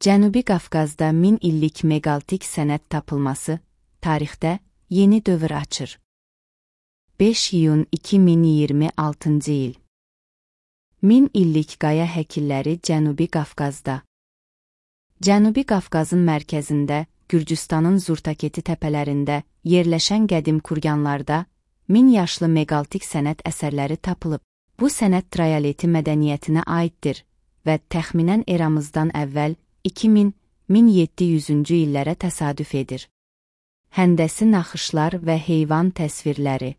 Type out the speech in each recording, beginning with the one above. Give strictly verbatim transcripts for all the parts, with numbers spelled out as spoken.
Cənubi Qafqazda min illik meqalitik sənət tapılması, tarixdə yeni dövr açır. beş iyun iki min iyirmi altıncı il. Min illik qaya həkilləri Cənubi Qafqazda. Cənubi Qafqazın mərkəzində, Gürcüstanın Zurtaketi təpələrində yerləşən qədim kurganlarda min yaşlı meqalitik sənət əsərləri tapılıb. Bu sənət Trayaleti mədəniyyətinə aiddir və təxminən eramızdan əvvəl iki min - min yeddi yüzüncü illərə təsadüf edir. Həndəsi naxışlar və heyvan təsvirləri.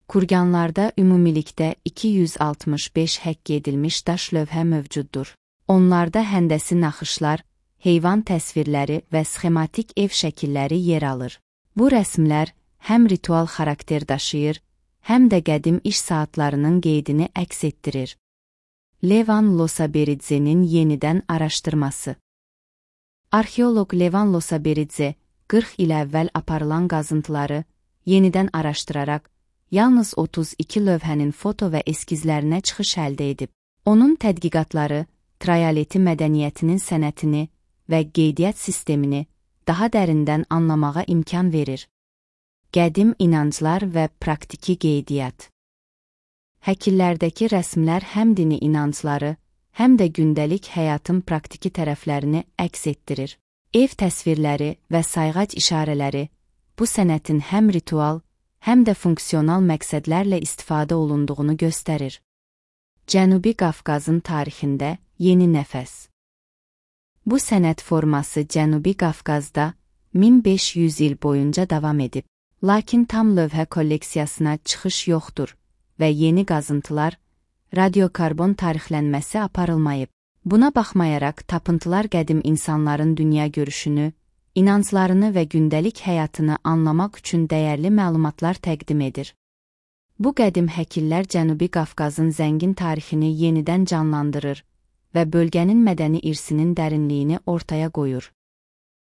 Kurganlarda ümumilikdə iki yüz altmış beş həkk edilmiş daş lövhə mövcuddur. Onlarda həndəsi naxışlar, heyvan təsvirləri və sxematik ev şəkilləri yer alır. Bu rəsmlər həm ritual xarakter daşıyır, həm də qədim iş saatlarının qeydini əks etdirir. Levan Losaberidze'nin yenidən araşdırması. Arxeoloq Levan Losaberidze, qırx il əvvəl aparılan qazıntıları yenidən araşdıraraq, yalnız otuz iki lövhənin foto və eskizlərinə çıxış əldə edib. Onun tədqiqatları Trayaleti mədəniyyətinin sənətini və qeydiyyat sistemini daha dərindən anlamağa imkan verir. Qədim inanclar və praktiki qeydiyyat. Həkillərdəki rəsmlər həm dini inancları, həm də gündəlik həyatın praktiki tərəflərini əks etdirir. Ev təsvirləri və sayğac işarələri bu sənətin həm ritual, həm də funksional məqsədlərlə istifadə olunduğunu göstərir. Cənubi Qafqazın tarixində yeni nəfəs. Bu sənət forması Cənubi Qafqazda min beş yüz il boyunca davam edib. Lakin tam lövhə kolleksiyasına çıxış yoxdur və yeni qazıntılar, radiokarbon tarixlənməsi aparılmayıb. Buna baxmayaraq, tapıntılar qədim insanların dünya görüşünü, inanclarını və gündəlik həyatını anlamaq üçün dəyərli məlumatlar təqdim edir. Bu qədim həkillər Cənubi Qafqazın zəngin tarixini yenidən canlandırır və bölgənin mədəni irsinin dərinliyini ortaya qoyur.